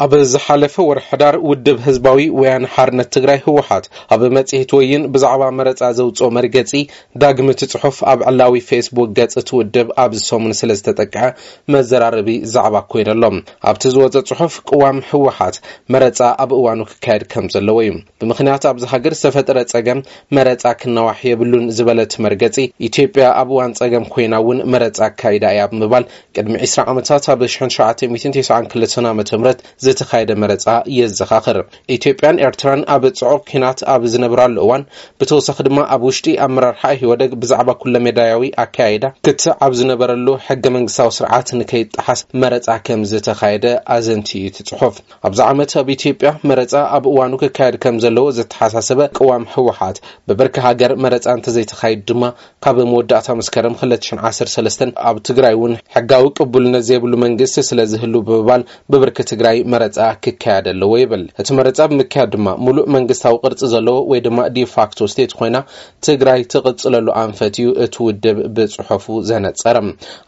ኣብ ዝሓለፈ ወርሒ ሕዳር ውድብ ህዝባዊ ወያነ ሓርነት ትግራይ ህወሓት ኣብ መጽሔት ወይን ብዛዕባ መረጻ ዘውጽኦ መርገጺ ዳግም እቲ ጽሑፍ ኣብ ዕላዊ ፌስቡክ ገጽ እቲ ውድብ ኣብዚ ሰሙን ስለ ዝተጠቅዐ መዘራረቢ ዛዕባ ኮይነሎም። ኣብቲ ዝወጸ ጽሑፍ ቅዋም ህወሓት መረጻ ኣብ እዋኑ ክካየድ ከም ዘለዎ እዩ። ብምኽንያት ኣብዚ ሃገር ዝተፈጠረ ጸገም መረጻ ክናዋሕ የብሉን ዝበለ እቲ መርገጺ፣ ኢትዮጵያ ኣብ እዋን ጸገም ኮይና እውን መረጻ ኣካይዳ እያ ብምባል ቅድሚ ዕስራ ዓመታት ኣብ ሺሕ ትሽዓተ ሚእትን ተስዓን ክልተን ዓመተ ምህረት ዝተኻየደ መረጻ የዘኻኽር። ኢትዮጵያን ኤርትራን ኣብ ጽዑቕ ኲናት ኣብ ዝነብራሉ እዋን፣ ብተወሳኺ ድማ ኣብ ውሽጢ ኣመራርሓ ኢህወደግ ብዛዕባ ኩለመዳያዊ ኣካያይዳ ክትዕ ኣብ ዝነበረሉ ሕገ መንግስታዊ ስርዓት ንከይጠሓስ መረጻ ከም ዝተኻየደ ኣዘንትዩ እቲ ጽሑፍ። ኣብዚ ዓመት ኣብ ኢትዮጵያ መረጻ ኣብ እዋኑ ክካየድ ከም ዘለዎ ዘተሓሳሰበ ቅዋም ህወሓት፣ ብብርኪ ሃገር መረጻ እንተዘይተኻይዱ ድማ ካብ መወዳእታ መስከረም ክልተ ሽሕን ዓሰርተ ሰለስተን ኣብ ትግራይ እውን ሕጋዊ ቅቡልነት ዘይብሉ መንግስቲ ስለ ዝህሉ ብምባል ብብርኪ ትግራይ መረጻ ክካየድ ኣለዎ ይብል። እቲ መረጻ ብምክያድ ድማ ሙሉእ መንግስታዊ ቅርጺ ዘለዎ ወይ ድማ ዲፋክቶ ስቴት ኮይና ትግራይ ትቕጽለሉ ኣንፈት እዩ እቲ ውድብ ብጽሑፉ ዘነጸረ።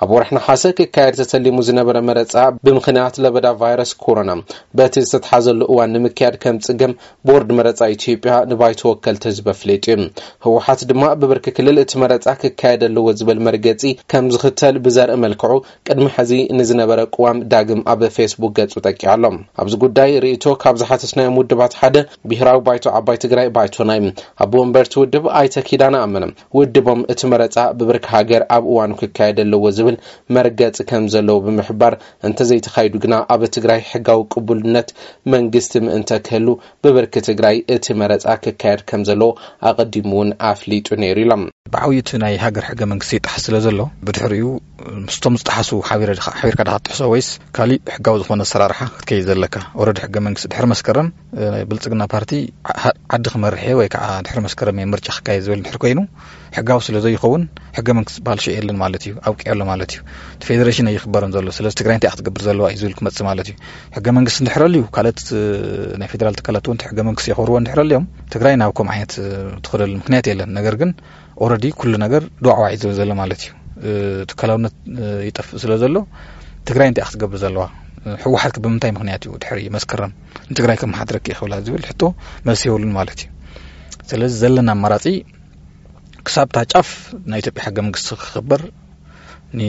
ኣብ ወርሒ ነሓሰ ክካየድ ተተሊሙ ዝነበረ መረጻ ብምኽንያት ለበዳ ቫይረስ ኮሮና በቲ ዝተትሓዘሉ እዋን ንምክያድ ከም ጽገም ቦርድ መረጻ ኢትዮጵያ ንባይቶ ወከልቲ ህዝቢ ኣፍሊጡ እዩ። ህወሓት ድማ ብብርኪ ክልል እቲ መረጻ ክካየድ ኣለዎ ዝብል መርገጺ ከም ዝኽተል ብዘርኢ መልክዑ ቅድሚ ሕዚ ንዝነበረ ቅዋም ዳግም ኣብ ፌስቡክ ገጹ ጠቂዑ ኣሎ። ኣብዚ ጉዳይ ርእይቶ ካብ ዝሓተትናዮም ውድባት ሓደ ብሄራዊ ባይቶ ዓባይ ትግራይ ባይቶና እዩ። ኣቦ ወንበር እቲ ውድብ ኣይተ ኪዳነ ኣመነ ውድቦም እቲ መረጻ ብብርኪ ሃገር ኣብ እዋኑ ክካየድ ኣለዎ ዝብል መርገጺ ከም ዘለዎ ብምሕባር፣ እንተዘይተኻይዱ ግና ኣብ ትግራይ ሕጋዊ ቅቡልነት መንግስቲ ምእንተ ክህሉ ብብርኪ ትግራይ እቲ መረጻ ክካየድ ከም ዘለዎ ኣቐዲሙ እውን ኣፍሊጡ ነይሩ ኢሎም። ብዓብዩ እቲ ናይ ሃገር ሕገ መንግስቲ ይጠሓስ ስለ ዘሎ፣ ብድሕሪኡ ምስቶም ዝጠሓሱ ሓቢረ ድኻ- ሓቢርካ ድኻ ትጥሕሶ ወይስ ካሊእ ሕጋዊ ዝኾነ ኣሰራርሓ ክትከይድ ዘለካ? ኦረዲ ሕገ መንግስቲ ድሕሪ መስከረም፣ እ፣ ናይ ብልጽግና ፓርቲ ዓ- ዓዲ ክመርሕ እየ ወይ ከዓ ድሕሪ መስከረም እየ ምርጫ ክካየድ ዝብል እንድሕር ኮይኑ፣ ሕጋዊ ስለ ዘይኸውን ሕገ መንግስቲ ዝበሃል ሽዑ የለን ማለት እዩ፣ ኣብቂዑ ኣሎ ማለት እዩ። እቲ ፌዴሬሽን ኣይኽበርን ዘሎ፣ ስለዚ ትግራይ እንታይ ክትገብር ዘለዋ እዩ ዝብል ክመጽእ ማለት እዩ። ሕገ መንግስቲ እንድሕር ኣልዩ፣ ካልኦት፣ እ፣ ናይ ፌዴራል ትካላት እውን እቲ ሕገ መንግስቲ የኽብርዎ እንድሕር ኣልዮም፣ ትግራይ ናብ ከምኡ ዓይነት፣ እ፣ ትኸደሉ ምክንያት የለን። ነገር ግን ኦረዲ ኩሉ ነገር ዱዕዋዕ እዩ ዝብል ዘሎ ማለት እዩ። እ፣ ትካላውነት፣ እ፣ ይጠፍእ ስለ ዘሎ ትግራይ እንታይ ክትገብር ዘለዋ? እ፣ ህወሓት ከ ብምንታይ ምክንያት እዩ ድሕሪ መስከረም ንትግራይ ከመሓድረኪ እየ ክብላ ዝብል ሕቶ መልሲ የብሉን ማለት እዩ። ስለዚ ዘለና ኣማራፂ ክሳብ እታ ጫፍ ናይ ኢትዮጵያ ሕገ መንግስቲ ክኽበር፣ ን-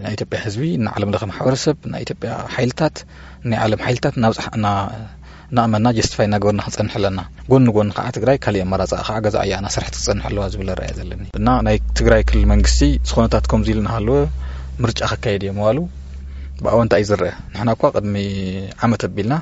ናይ ኢትዮጵያ ህዝቢ፣ ንዓለም ለኸ ማሕበረሰብ፣ ናይ ኢትዮጵያ ሓይልታት፣ ናይ ዓለም ሓይልታት እናብፅሕ- እና- እናእመና ጀስቲፋይ እናገበርና ክንፀንሕ ኣለና። ጎኒ ጎኒ ከዓ ትግራይ ካሊእ ኣማራፂ ከዓ ገዛ እያ እናሰርሐት ክትፀንሕ ኣለዋ ዝብል ኣረኣእያ ዘለኒ እና ናይ ትግራይ ክልል መንግስቲ ዝኾነታት ከምዚ ኢሉ እናሃለወ ምርጫ ከካየድ እየ ምባሉ ብኣወንታ እዩ ዝረአ። ንሕና እኳ ቅድሚ ዓመት ኣቢልና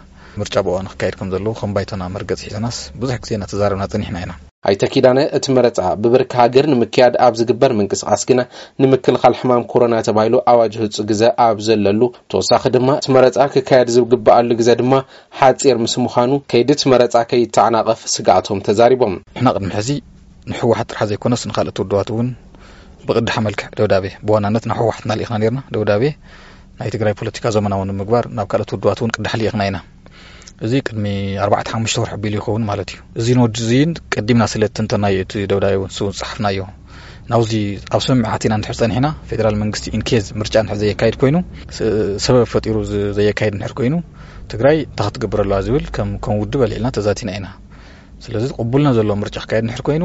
ምርጫ ብእዋኑ ክካየድ ከም ዘለዎ ከም ባይቶና መርገፂ ሒዘናስ ብዙሕ ግዜ እናተዛረብና ፀኒሕና ኢና። ኣይተ ኪዳነ፣ እቲ መረፃ ብብርኪ ሃገር ንምክያድ ኣብ ዝግበር ምንቅስቓስ ግና ንምክልኻል ሕማም ኮሮና ተባሂሉ ኣዋጅ ህፁ ግዘ ኣብ ዘለሉ፣ ተወሳኺ ድማ እቲ መረፃ ክካየድ ዝግበኣሉ ግዘ ድማ ሓፂር ምስ ምዃኑ ከይዲ እቲ መረፃ ከይተዓናቐፍ ስግኣቶም ተዛሪቦም። ንሕና ቅድሚ ሕዚ ንህወሓት ጥራሕ ዘይኮነስ ንካልኦት ውድባት እውን ብቅዳሕ መልክዕ ደብዳቤ፣ ብዋናነት ናብ ህወሓት እናልኢኽና ነርና። ደብዳቤ ናይ ትግራይ ፖለቲካ ዘመናዊ ንምግባር ናብ ካልኦት ውድባት እውን ቅዳሕ ልኢኽና ኢና። እዚ ቅድሚ ኣርባዕተ ሓሙሽተ ወርሒ ኣቢሉ ይኸውን ማለት እዩ። እዚ ንወዲ እዚን ቀዲምና ስለ እትንተናዮ እቲ ደብዳቤ እውን ዝፀሓፍናዮ ናብዚ ኣብ ስምምዕ ኣቲና እንድሕር ፀኒሕና፣ ፌደራል መንግስቲ ኢንኬዝ ምርጫ እንድሕር ዘየካይድ ኮይኑ፣ ስ- ሰበብ ፈጢሩ ዝ- ዘየካይድ እንድሕር ኮይኑ፣ ትግራይ እንታይ ክትገብር ኣለዋ ዝብል ከም ከም ውድብ ኣልዒልና ተዛቲና ኢና። ስለዚ ቅቡልነት ዘለዎ ምርጫ ክካየድ እንድሕር ኮይኑ፣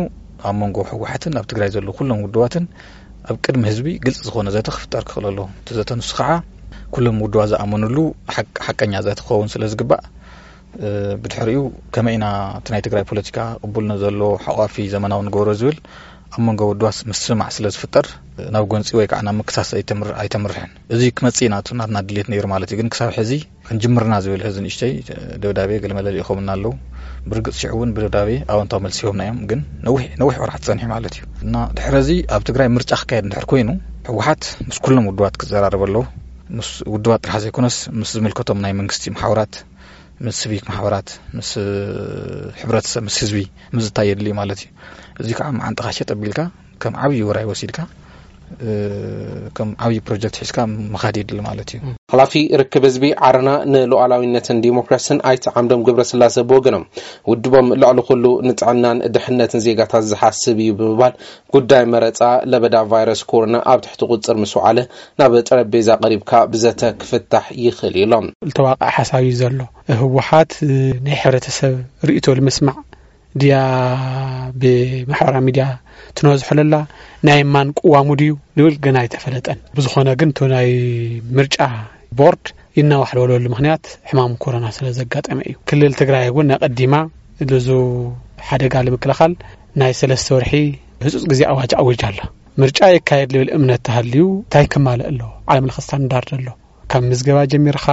ኣብ መንጎ ህወሓትን ኣብ ትግራይ ዘለዉ ኩሎም ውድባትን ኣብ ቅድሚ ህዝቢ ግልፂ ዝኾነ ዘተ ክፍጠር ክኽእል ኣለዎ። እቲ ዘተ ንሱ ከዓ ኩሎም ውድባት ዝኣመኑሉ ሓቅ- ሓቀኛ ዘተ ክኸውን ስለ ዝግባእ፣ እ፣ ብድሕሪኡ ከመይ ኢና እቲ ናይ ትግራይ ፖለቲካ ቅቡልነት ዘለዎ ሓቋፊ ዘመናዊ ንገብሮ ዝብል ኣብ መንጎ ውድባት ምስምማዕ ስለ ዝፍጠር፣ ናብ ጎንፂ ወይ ከዓ ናብ ምክሳስ ኣይተምር- ኣይተምርሕን። እዚ ክመፅእ ኢና እቲ ናትና ድሌት ነይሩ ማለት እዩ። ግን ክሳብ ሕዚ ክንጅምርና ዝብል ሕዚ ንእሽተይ ደብዳቤ ገለመለ ልኢኾምና ኣለዉ። ብርግፅ ሽዑ እውን ብደብዳቤ ኣወንታዊ መልሲ ሂቦምና እዮም። ግን ነዊሕ ነዊሕ ወርሓት ፀኒሑ ማለት እዩ። እና ድሕሪ እዚ ኣብ ትግራይ ምርጫ ክካየድ እንድሕር ኮይኑ፣ ህወሓት ምስ ኩሎም ውድባት ክዘራረብ ኣለዎ። ምስ ውድባት ጥራሕ ዘይኮነስ ምስ ዝምልከቶም ናይ መንግስቲ ማሕበራት፣ ምስ ሲቪክ ማሕበራት፣ ምስ ሕብረተሰብ፣ ምስ ህዝቢ ምዝታይ የድሊ ማለት እዩ። እዚ ከዓ መዓንጥኻ ሸጥ ኣቢልካ ከም ዓብዪ ውራይ ወሲድካ፣ እ፣ ከም ዓብዪ ፕሮጀክት ሒዝካ ምኻድ የድሊ ማለት እዩ። ሓላፊ ርክብ ህዝቢ ዓረና ንሉዓላዊነትን ዲሞክራስን ኣይተ ዓምዶም ገብረስላሰ ብወገኖም፣ ውድቦም ልዕሊ ኩሉ ንጥዕናን ድሕነትን ዜጋታት ዝሓስብ እዩ ብምባል፣ ጉዳይ መረፃ ለበዳ ቫይረስ ኮሮና ኣብ ትሕቲ ቁፅር ምስ ወዓለ፣ ናብ ጠረጴዛ ቀሪብካ ብዘተ ክፍታሕ ይኽእል እዩ ኢሎም። ዝተዋቕዐ ሓሳብ እዩ ዘሎ። ህወሓት ናይ ሕብረተሰብ ርእይቶ ንምስማዕ ድያ ብማሕበራዊ ሚድያ ትነዝሖ ለላ፣ ናይ ማን ቅዋሙ ድዩ ዝብል ገና ኣይተፈለጠን። ብዝኾነ ግን እቲ ናይ ምርጫ ቦርድ ይናዋሕ ዝበለሉ ምኽንያት ሕማም ኮሮና ስለ ዘጋጠመ እዩ። ክልል ትግራይ እውን ኣቐዲማ ልዙ ሓደጋ ንምክልኻል ናይ ሰለስተ ወርሒ ህፁፅ ግዜ ኣዋጅ ኣዊጃ ኣላ። ምርጫ የካየድ ልብል እምነት ተሃልዩ እንታይ ክማልእ ኣለዎ? ዓለም ለኸ ስታንዳርድ ኣሎ። ካብ ምዝገባ ጀሚርኻ፣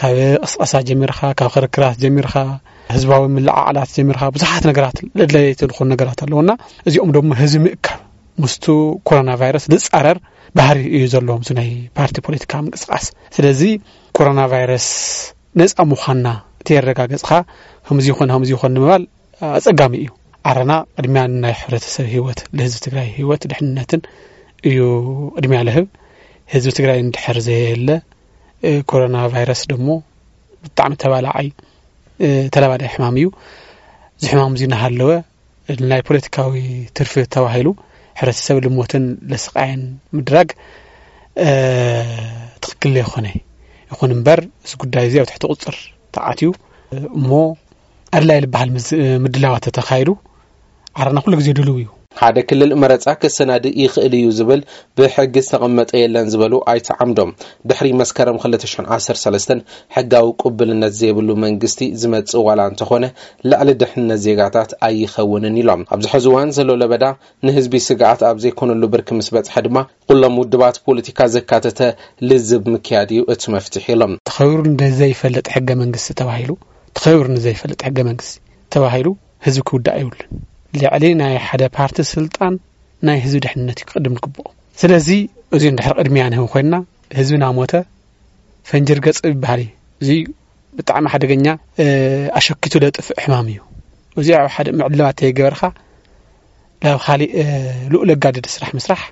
ካብ ቅስቀሳ ጀሚርኻ፣ ካብ ክርክራት ጀሚርኻ፣ ህዝባዊ ምልዓዓላት ጀሚርኻ፣ ብዙሓት ነገራት ለድለይቲ ዝኾኑ ነገራት ኣለውና፣ እዚኦም ደሞ ህዝቢ ምእካብ ምስቱ ኮሮና ቫይረስ ዝፃረር ባህሪ እዩ ዘለዎም። እዚ ናይ ፓርቲ ፖለቲካ ምንቅስቃስ፣ ስለዚ ኮሮና ቫይረስ ነፃ ምዃንና ተየረጋገፅካ፣ ከምዚ ይኾን ከምዚ ይኾን ንምባል ኣፀጋሚ እዩ። ዓረና ቅድሚያ ናይ ሕብረተሰብ ህይወት፣ ለህዝቢ ትግራይ ህይወት ድሕንነትን እዩ ቅድሚያ ለህብ። ህዝቢ ትግራይ እንድሕር ዘየለ፣ ኮሮና ቫይረስ ደሞ ብጣዕሚ ተባላዓይ፣ ተላባዳይ ሕማም እዩ። እዚ ሕማም እዚ እናሃለወ ናይ ፖለቲካዊ ትርፊ ተባሂሉ ሕብረተሰብ ልሞትን ለስቃይን ምድራግ ትኽክል ዘይኮነ። ይኹን እምበር፣ እዚ ጉዳይ እዚ ኣብ ትሕቲ ቁፅር ተኣትዩ እሞ ኣድላይ ዝበሃል ምድላዋት ተተኻይዱ፣ ዓረና ኩሉ ግዜ ድልው እዩ። ሓደ ክልል መረፃ ክሰናድእ ይኽእል እዩ ዝብል ብሕጊ ዝተቐመጠ የለን ዝበሉ ኣይተ ዓምዶም፣ ድሕሪ መስከረም ክልተ ሽሕን ዓሰርተ ሰለስተን ሕጋዊ ቅቡልነት ዘይብሉ መንግስቲ ዝመፅእ ዋላ እንተኾነ፣ ልዕሊ ድሕነት ዜጋታት ኣይኸውንን ኢሎም። ኣብዚ ሕዚ እዋን ዘሎ ለበዳ ንህዝቢ ስግኣት ኣብ ዘይኮነሉ ብርኪ ምስ በፅሐ ድማ፣ ኩሎም ውድባት ፖለቲካ ዘካተተ ልዝብ ምክያድ እዩ እቲ መፍትሒ ኢሎም። ተኸቢሩ ንዘይፈልጥ ሕገ መንግስቲ ተባሂሉ፣ ተኸቢሩ ንዘይፈልጥ ሕገ መንግስቲ ተባሂሉ ህዝቢ ክውዳእ የብሉን። ልዕሊ ናይ ሓደ ፓርቲ ስልጣን ናይ ህዝቢ ድሕንነት እዩ ክቕድም ዝግብኦ። ስለዚ እዚ እንድሕር ቅድሚያ ንህብ ኮይንና፣ ህዝቢ ናሞተ ፈንጂ ርገጽ ይበሃል እዩ። እዚ ብጣዕሚ ሓደገኛ፣ ኣሸኪቱ ለጥፍእ ሕማም እዩ። እዚ ኣብ ሓደ ምዕድላዋት ተይገበርካ ናብ ካሊእ ልኡል ኣጋድድ ስራሕ ምስራሕ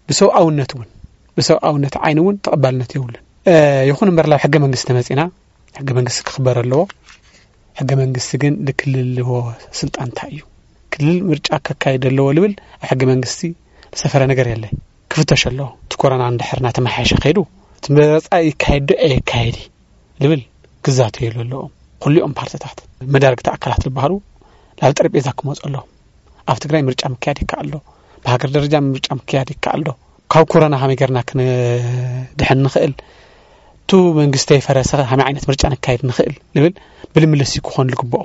ብሰብኣውነት እውን፣ ብሰብኣውነት ዓይኒ እውን ተቐባልነት የብሉን። ይኹን እምበር ናብ ሕገ መንግስቲ ተመጺና፣ ሕገ መንግስቲ ክኽበር ኣለዎ። ሕገ መንግስቲ ግን ንክልል ልህቦ ስልጣን እንታይ እዩ? ክልል ምርጫ ከካይድ ኣለዎ ልብል ኣብ ሕገ መንግስቲ ዝሰፈረ ነገር የለ። ክፍተሽ ኣለዎ። እቲ ኮረና እንድሕር እናተመሓየሸ ከይዱ፣ እቲ መረፃ ይካየድ ዶ ኣይካየድ ልብል ክዛተየሉ ኣለዎም። ኩሊኦም ፓርትታት፣ መዳርግቲ ኣካላት ዝበሃሉ ናብ ጠረጴዛ ክመፁ ኣለዎም። ኣብ ትግራይ ምርጫ ምክያድ ይከኣል ዶ? ብሃገር ደረጃ ምርጫ ምክያድ ይከኣል ዶ? ካብ ኮረና ከመይ ጌርና ክንድሕን ንኽእል? ቱ መንግስቲ ይፈረሰ ከመይ ዓይነት ምርጫ ነካይድ ንኽእል? ልብል ብልምልስ ክኾን ልግብኦ።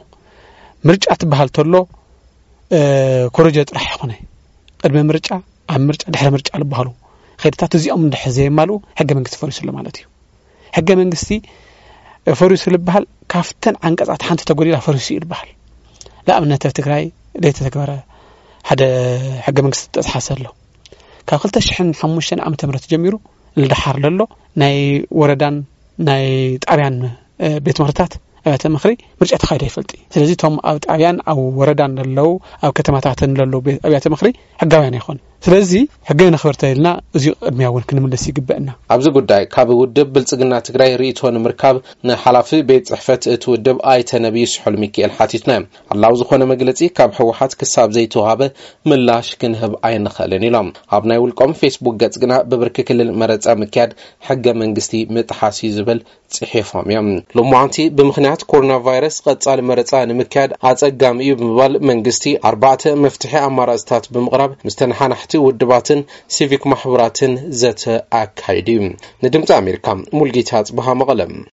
ምርጫ ትበሃል ተሎ ኮረጆ ጥራሕ ይኾነ። ቅድሚ ምርጫ፣ ኣብ ምርጫ፣ ድሕሪ ምርጫ ዝበሃሉ ከይድታት እዚኦም እንድሕር ዘየማልኡ ሕገ መንግስቲ ፈሪሱ ኣሎ ማለት እዩ። ሕገ መንግስቲ ፈሪሱ ዝበሃል ካብተን ዓንቀፃት ሓንቲ ተጎዲላ ፈሪሱ እዩ ዝበሃል። ንኣብነት ኣብ ትግራይ ዘይተተግበረ ሓደ ሕገ መንግስቲ ተጥሓሰ ኣሎ። ካብ ክልተ ሽሕን ሓሙሽተን ዓመተ ምህረት ጀሚሩ ንደሓር ለሎ ናይ ወረዳን ናይ ጣብያን ቤት ምኽርታት ኣብያተ ምኽሪ ምርጫ ተኻይዶ ይፈልጥ እዩ። ስለዚ እቶም ኣብ ጣብያን ኣብ ወረዳን ለለዉ ኣብ ከተማታትን ለለዉ ኣብያተ ምኽሪ ሕጋውያን ኣይኾኑ። ስለዚ ሕገ ነኽብር ተኢልና እዚ ቅድሚያ እውን ክንምልስ ይግበእና። ኣብዚ ጉዳይ ካብ ውድብ ብልፅግና ትግራይ ርእይቶ ንምርካብ ንሓላፊ ቤት ፅሕፈት እቲ ውድብ ኣይተ ነብዩ ስሑል ሚካኤል ሓቲትና። ዕላዊ ዝኾነ መግለፂ ካብ ህወሓት ክሳብ ዘይተዋሃበ ምላሽ ክንህብ ኣይንኽእልን ኢሎም። ኣብ ናይ ውልቆም ፌስቡክ ገፅ ግና ብብርኪ ክልል መረፃ ምክያድ ሕገ መንግስቲ ምጥሓስ እዩ ዝብል ፅሒፎም እዮም። ሎማዓንቲ ብምኽንያት ኮሮና ቫይረስ ቀፃሊ መረፃ ንምክያድ ኣፀጋሚ እዩ ብምባል መንግስቲ ኣርባዕተ መፍትሒ ኣማራፅታት ብምቕራብ ምስ ተነሓናሕቲ ውድባትን ሲቪክ ማሕበራትን ዘተ ኣካይዱ እዩ። ንድምፂ ኣሜሪካ ሙልጌታ ኣፅበሃ መቐለ።